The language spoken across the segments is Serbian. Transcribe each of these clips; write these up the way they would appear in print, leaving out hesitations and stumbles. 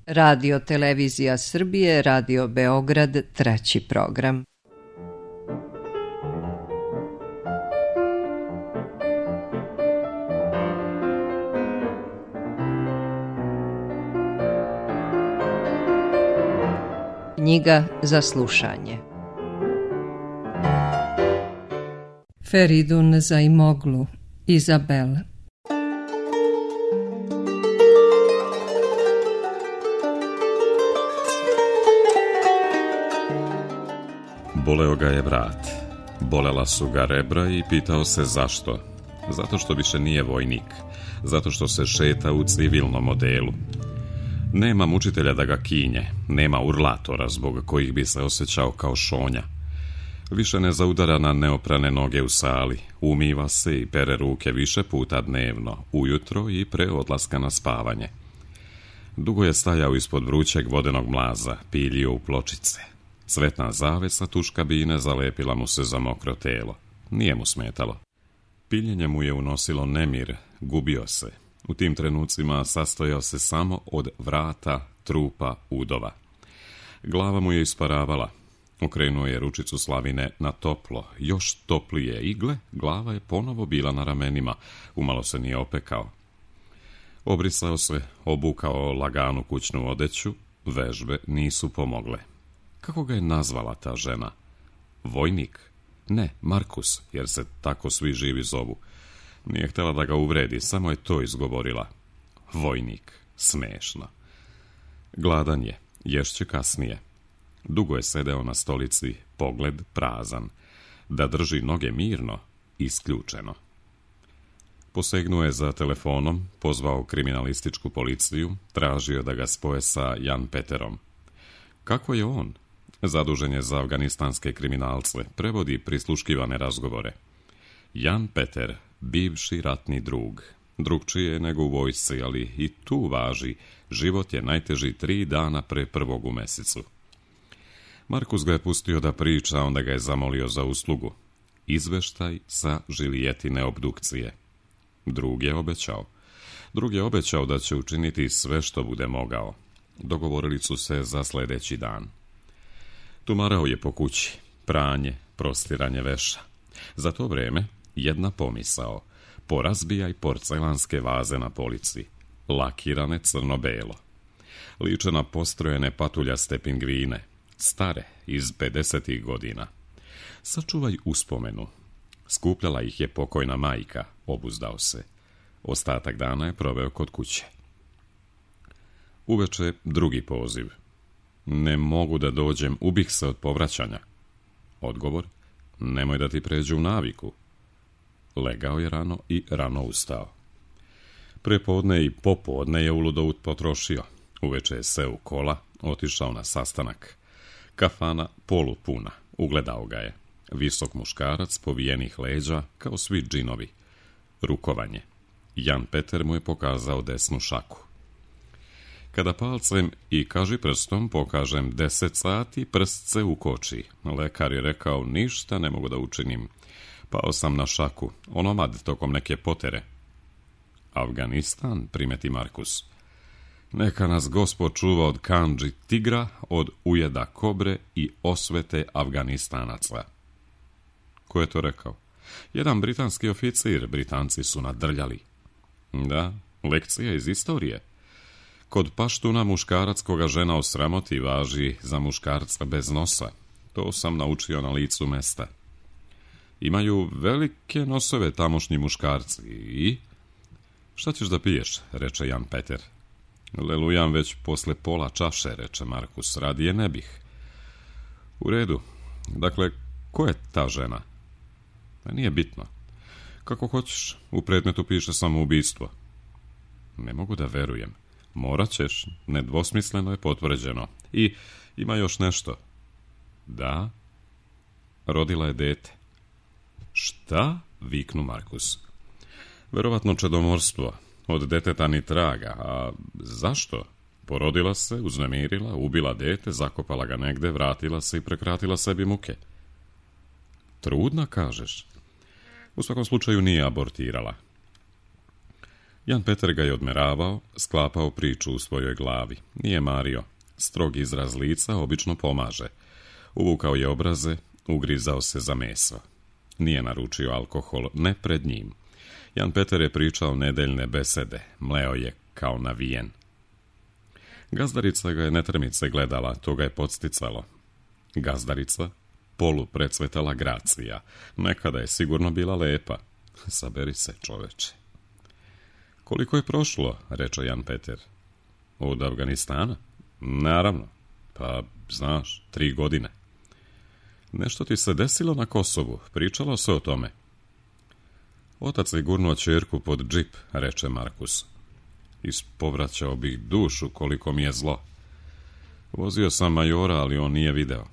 Radio Televizija Srbije, Radio Beograd, 3. program. Knjiga za slušanje. Feridun Zaimoglu, Izabel. Boleo ga je vrat, bolela su ga rebra i pitao se zašto. Zato što više nije vojnik, zato što se šeta u civilnom odelu. Nema mučitelja da ga kinje, nema urlatora zbog kojih bi se osjećao kao šonja. Više ne zaudara na neoprane noge u sali, umiva se i pere ruke više puta dnevno, ujutro i pre odlaska na spavanje. Dugo je stajao ispod vrućeg vodenog mlaza, piljio u pločice. Cvetna zavesa tuš kabine zalepila mu se za mokro telo. Nije mu smetalo. Piljenje mu je unosilo nemir, gubio se. U tim trenucima sastojao se samo od vrata, trupa, udova. Glava mu je isparavala. Okrenuo je ručicu slavine na toplo, još toplije igle, glava je ponovo bila na ramenima, umalo se nije opekao. Obrisao se, obukao laganu kućnu odeću, vežbe nisu pomogle. Kako ga je nazvala ta žena? Vojnik? Ne, Markus, jer se tako svi živi zovu. Nije htjela da ga uvredi, samo je to izgovorila. Vojnik, smešno. Gladan je, ješće kasnije. Dugo je sedeo na stolici, pogled prazan. Da drži noge mirno, isključeno. Posegnuo je za telefonom, pozvao kriminalističku policiju, tražio da ga spoje sa Jan Peterom. Kako je on? Zadužen je za afganistanske kriminalce, prevodi prisluškivane razgovore. Jan Peter, bivši ratni drug. Drugčije je nego u vojsci, ali i tu važi, život je najteži 3 dana pre 1. u mesecu. Markus ga je pustio da priča, onda ga je zamolio za uslugu. Izveštaj sa Žilijetine obdukcije. Drug je obećao da će učiniti sve što bude mogao. Dogovorili su se za sljedeći dan. Tumarao je po kući, pranje, prostiranje veša. Za to vreme jedna pomisao, porazbijaj porcelanske vaze na polici, lakirane crno-belo. Liče na postrojene patuljaste pingvine, stare, iz 50. godina. Sačuvaj uspomenu. Skupljala ih je pokojna majka, obuzdao se. Ostatak dana je proveo kod kuće. Uveče drugi poziv. Ne mogu da dođem, ubih se od povraćanja. Odgovor, nemoj da ti pređe u naviku. Legao je rano i rano ustao. Prepodne i popodne je uludo potrošio. Uveče je seo u kola, otišao na sastanak. Kafana polupuna, ugledao ga je. Visok muškarac, povijenih leđa, kao svi džinovi. Rukovanje. Jan Peter mu je pokazao desnu šaku. Kada palcem i kaži prstom pokažem 10 sati, prst se ukoči. Lekar je rekao, ništa ne mogu da učinim. Pao sam na šaku, onomad tokom neke potere. Afganistan, primeti Markus. Neka nas Gospod čuva od kandži tigra, od ujeda kobre i osvete Afganistanaca. Ko je to rekao? Jedan britanski oficir, Britanci su nadrljali. Da, lekcija iz istorije. Kod paštuna muškarac koga žena osramoti važi za muškarca bez nosa. To sam naučio na licu mesta. Imaju velike nosove tamošnji muškarci i... Šta ćeš da piješ, reče Jan Peter. Lelujam već posle pola čaše, reče Markus, radije ne bih. U redu. Dakle, ko je ta žena? Nije bitno. Kako hoćeš, u predmetu piše samoubistvo. Ne mogu da verujem. Morat ćeš, nedvosmisleno je potvrđeno. I ima još nešto. Da, rodila je dete. Šta? Viknu Markus. Verovatno čedomorstvo. Od deteta ni traga. A zašto? Porodila se, uznemirila, ubila dete, zakopala ga negde, vratila se i prekratila sebi muke. Trudna, kažeš? U svakom slučaju nije abortirala. Jan Peter ga je odmeravao, sklapao priču u svojoj glavi. Nije mario. Strog izraz lica obično pomaže. Uvukao je obraze, ugrizao se za meso. Nije naručio alkohol, ne pred njim. Jan Peter je pričao nedeljne besede, mleo je kao navijen. Gazdarica ga je netrmice gledala, to ga je podsticalo. Gazdarica, poluprecvetala gracija, nekada je sigurno bila lepa. Saberi se, čoveče. Koliko je prošlo, reče Jan Peter. Od Afganistana? Naravno, pa znaš, 3 godine. Nešto ti se desilo na Kosovu, pričalo se o tome. Otac je gurnuo ćerku pod džip, reče Markus. Ispovraćao bih dušu koliko mi je zlo. Vozio sam majora, ali on nije video.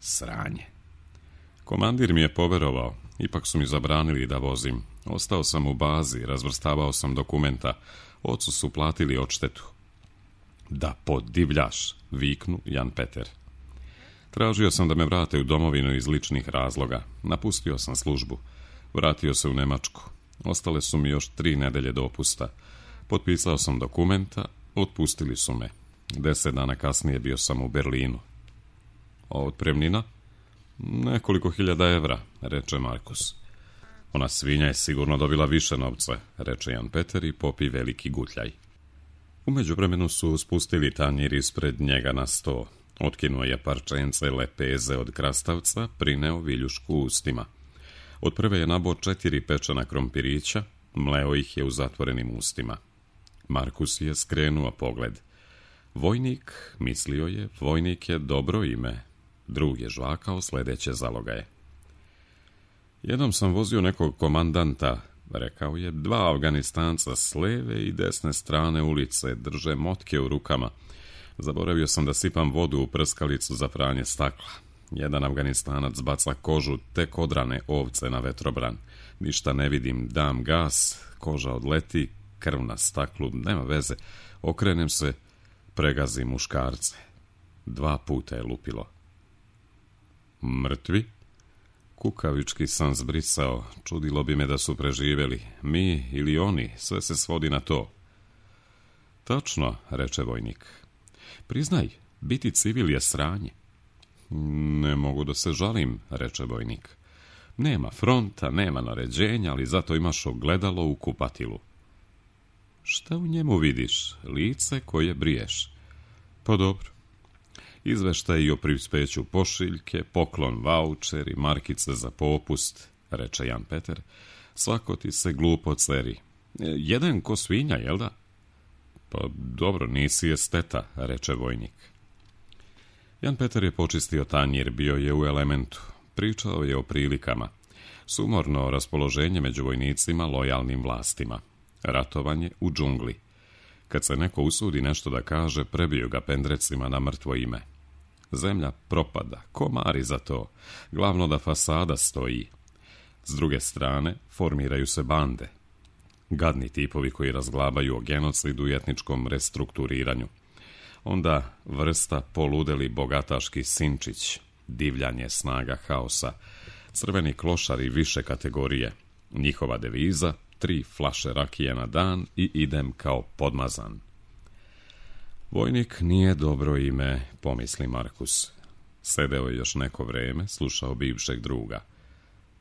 Sranje. Komandir mi je poverovao, ipak su mi zabranili da vozim. Ostao sam u bazi, razvrstavao sam dokumenta. Ocu su platili odštetu. Da podivljaš, viknu Jan Peter. Tražio sam da me vrate u domovinu iz ličnih razloga. Napustio sam službu. Vratio se u Nemačku. Ostale su mi još 3 nedelje dopusta. Potpisao sam dokumenta, otpustili su me. 10 dana kasnije bio sam u Berlinu. A otpremnina? Nekoliko hiljada evra, reče Markus. Ona svinja je sigurno dobila više novca, reče Jan Peter i popi veliki gutljaj. U međuvremenu su spustili tanjir ispred njega na sto. Otkinuo je parčence lepeze od krastavca, prineo viljušku ustima. Od prve je nabao 4 pečena krompirića, mleo ih je u zatvorenim ustima. Markus je skrenuo pogled. Vojnik, mislio je, vojnik je dobro ime. Drug je žvakao sledeće zalogaje. Jednom sam vozio nekog komandanta, rekao je, 2 Afganistanca s leve i desne strane ulice drže motke u rukama. Zaboravio sam da sipam vodu u prskalicu za pranje stakla. Jedan Afganistanac baca kožu tek odrane ovce na vetrobran. Ništa ne vidim, dam gas, koža odleti, krv na staklu, nema veze. Okrenem se, pregazim muškarce. 2 puta je lupilo. Mrtvi? Kukavički sam zbrisao, čudilo bi me da su preživjeli. Mi ili oni, sve se svodi na to. Tačno, reče vojnik. Priznaj, biti civil je sranje. Ne mogu da se žalim, reče vojnik. Nema fronta, nema naređenja, ali zato imaš ogledalo u kupatilu. Šta u njemu vidiš? Lice koje briješ. Pa dobro. Izveštaj o prispeću pošiljke, poklon vaučeri, markice za popust, reče Jan Peter. Svako ti se glupo ceri. Jedan ko svinja, jel da? Pa dobro, nisi esteta, reče vojnik. Jan Peter je počistio tanjir, bio je u elementu. Pričao je o prilikama. Sumorno raspoloženje među vojnicima, lojalnim vlastima. Ratovanje u džungli. Kad se neko usudi nešto da kaže, prebiju ga pendrecima na mrtvo ime. Zemlja propada, komari za to. Glavno da fasada stoji. S druge strane, formiraju se bande. Gadni tipovi koji razglabaju o genocidu i etničkom restrukturiranju. Onda vrsta poludeli bogataški sinčić, divljanje snaga haosa, crveni klošari više kategorije. Njihova deviza, 3 flaše rakije na dan i idem kao podmazan. Vojnik nije dobro ime, pomisli Markus. Sedeo je još neko vreme, slušao bivšeg druga.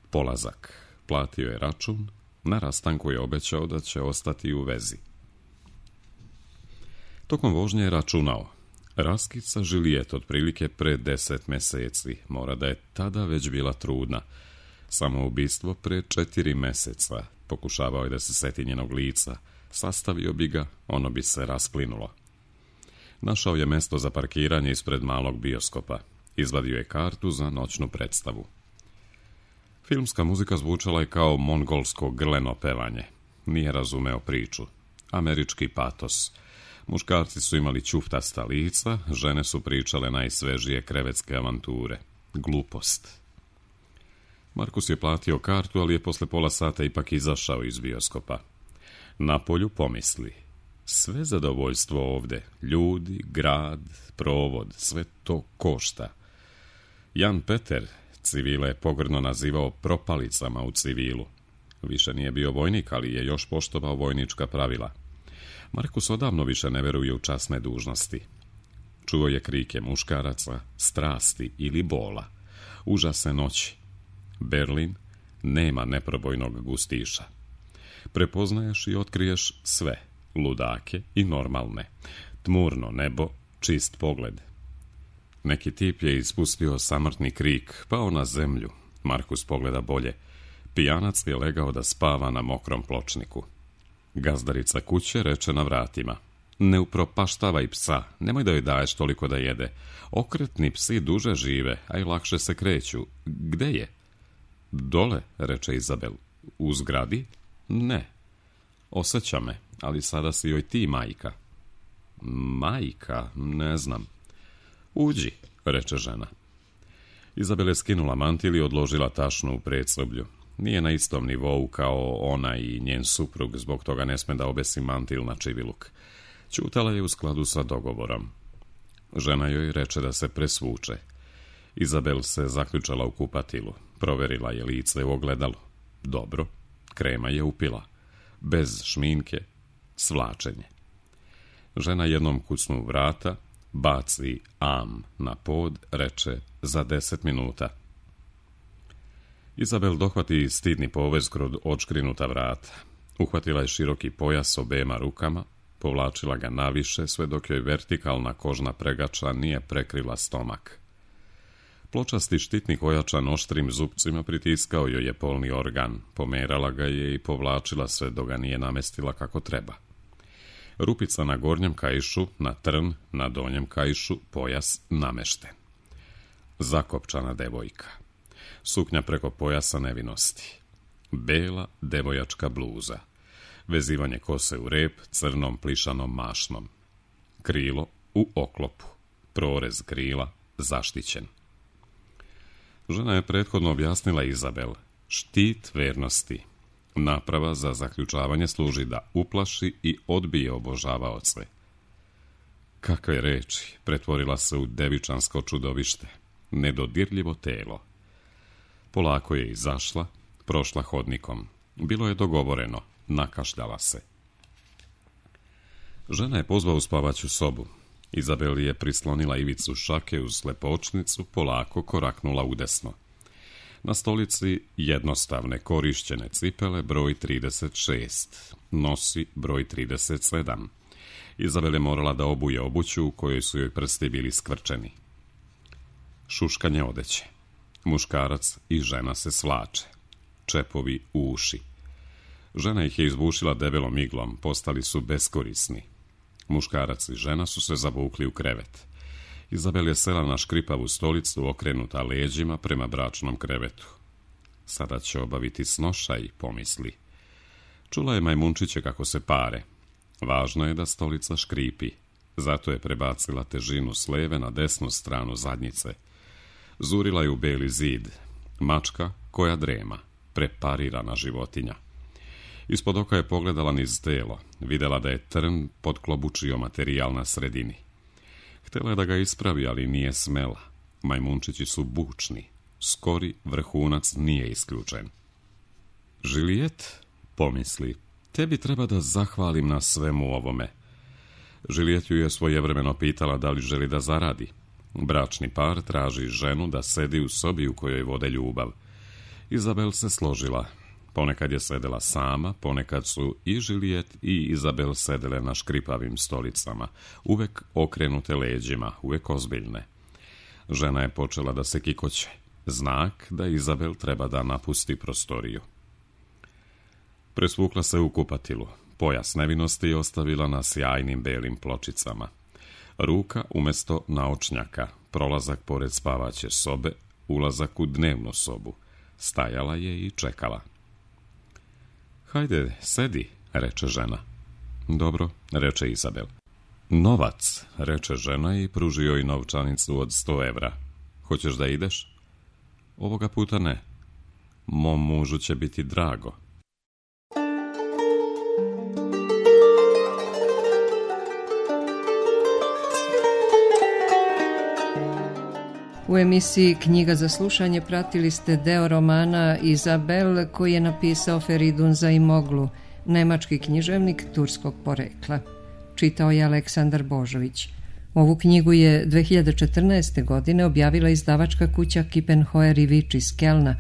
Polazak. Platio je račun, na rastanku je obećao da će ostati u vezi. Tokom vožnje je računao. Raskid sa Žilijet otprilike pre 10 meseci, mora da je tada već bila trudna. Samoubistvo pre 4 meseca, pokušavao je da se seti njenog lica, sastavio bi ga, ono bi se rasplinulo. Našao je mesto za parkiranje ispred malog bioskopa, izvadio je kartu za noćnu predstavu. Filmska muzika zvučala je kao mongolsko grleno pevanje. Nije razumeo priču. Američki patos. Muškarci su imali ćuftasta lica, žene su pričale najsvežije krevetske avanture. Glupost. Markus je platio kartu, ali je posle pola sata ipak izašao iz bioskopa. Napolju pomisli. Sve zadovoljstvo ovde, ljudi, grad, provod, sve to košta. Jan Peter civile je pogrdno nazivao propalicama u civilu. Više nije bio vojnik, ali je još poštovao vojnička pravila. Markus odavno više ne veruje u časne dužnosti. Čuo je krike muškaraca, strasti ili bola, užasne noći. Berlin nema neprobojnog gustiša. Prepoznaješ i otkriješ sve, ludake i normalne, tmurno nebo, čist pogled. Neki tip je ispustio samrtni krik, pao na zemlju. Markus pogleda bolje. Pijanac je legao da spava na mokrom pločniku. Gazdarica kuće reče na vratima: ne upropaštavaj psa, nemoj da joj daješ toliko da jede. Okretni psi duže žive, a i lakše se kreću. Gde je? Dole, reče Izabel. U zgradi? Ne. Osjeća me, ali sada si joj ti majka. Majka? Ne znam. Uđi, reče žena. Izabel je skinula mantil i odložila tašnu u predsoblju. Nije na istom nivou kao ona i njen suprug, zbog toga ne sme da obesi mantil na čiviluk. Ćutala je u skladu sa dogovorom. Žena joj reče da se presvuče. Izabel se zaključala u kupatilu. Proverila je lice u ogledalu. Dobro, krema je upila. Bez šminke, svlačenje. Žena jednom kucnu vrata, baci am na pod, reče za 10 minuta. Izabel dohvati stidni povez kroz odškrinuta vrata. Uhvatila je široki pojas obema rukama, povlačila ga naviše, sve dok joj vertikalna kožna pregača nije prekrila stomak. Pločasti štitnik ojačan oštrim zupcima pritiskao joj je polni organ, pomerala ga je i povlačila sve dok ga nije namestila kako treba. Rupica na gornjem kaišu, na trn, na donjem kaišu, pojas namešten. Zakopčana devojka. Suknja preko pojasa nevinosti. Bela devojačka bluza. Vezivanje kose u rep crnom plišanom mašnom. Krilo u oklopu. Prorez krila zaštićen. Žena je prethodno objasnila Izabel. Štit vernosti. Naprava za zaključavanje služi da uplaši i odbije obožavaoce. Kakve reči, pretvorila se u devičansko čudovište. Nedodirljivo telo. Polako je izašla, prošla hodnikom. Bilo je dogovoreno, nakašljala se. Žena je pozvao u spavaću sobu. Izabel je prislonila ivicu šake uz slepočnicu, polako koraknula udesno. Na stolici jednostavne korišćene cipele broj 36, nosi broj 37. Izabel je morala da obuje obuću u kojoj su joj prsti bili skvrčeni. Šuškanje odeće. Muškarac i žena se svlače. Čepovi u uši. Žena ih je izbušila debelom iglom, postali su beskorisni. Muškarac i žena su se zavukli u krevet. Izabel je sela na škripavu stolicu, okrenuta leđima prema bračnom krevetu. Sada će obaviti snošaj, pomisli. Čula je majmunčiće kako se pare. Važno je da stolica škripi. Zato je prebacila težinu s leve na desnu stranu zadnjice. Zurila je u beli zid. Mačka koja drema. Preparirana životinja. Ispod oka je pogledala niz telo. Videla da je trn podklobučio materijal na sredini. Htjela je da ga ispravi, ali nije smela. Majmunčići su bučni. Skori vrhunac nije isključen. Žilijet, pomisli, tebi treba da zahvalim na svemu ovome. Žilijet ju je svojevremeno pitala da li želi da zaradi. Bračni par traži ženu da sedi u sobi u kojoj vode ljubav. Izabel se složila. Ponekad je sedela sama, ponekad su i Žilijet i Izabel sedele na škripavim stolicama, uvek okrenute leđima, uvek ozbiljne. Žena je počela da se kikoće. Znak da Izabel treba da napusti prostoriju. Presvukla se u kupatilu. Pojas nevinosti je ostavila na sjajnim belim pločicama. Ruka umjesto naočnjaka, prolazak pored spavaće sobe, ulazak u dnevnu sobu. Stajala je i čekala. Hajde, sedi, reče žena. Dobro, reče Izabel. Novac, reče žena i pruži joj novčanicu od 100 evra. Hoćeš da ideš? Ovoga puta ne. Mom mužu će biti drago. U emisiji Knjiga za slušanje pratili ste deo romana Izabel koji je napisao Feridun Zaimoglu, nemački književnik turskog porekla. Čitao je Aleksandar Božović. Ovu knjigu je 2014. godine objavila izdavačka kuća Kippenheuer i Vič iz Kelna,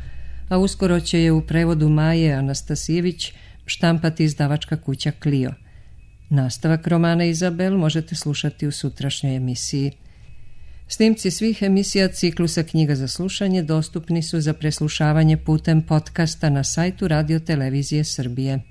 a uskoro će je u prevodu Maje Anastasijević štampati izdavačka kuća Clio. Nastavak romana Izabel možete slušati u sutrašnjoj emisiji. Snimci svih emisija ciklusa Knjiga za slušanje dostupni su za preslušavanje putem podcasta na sajtu Radio Televizije Srbije.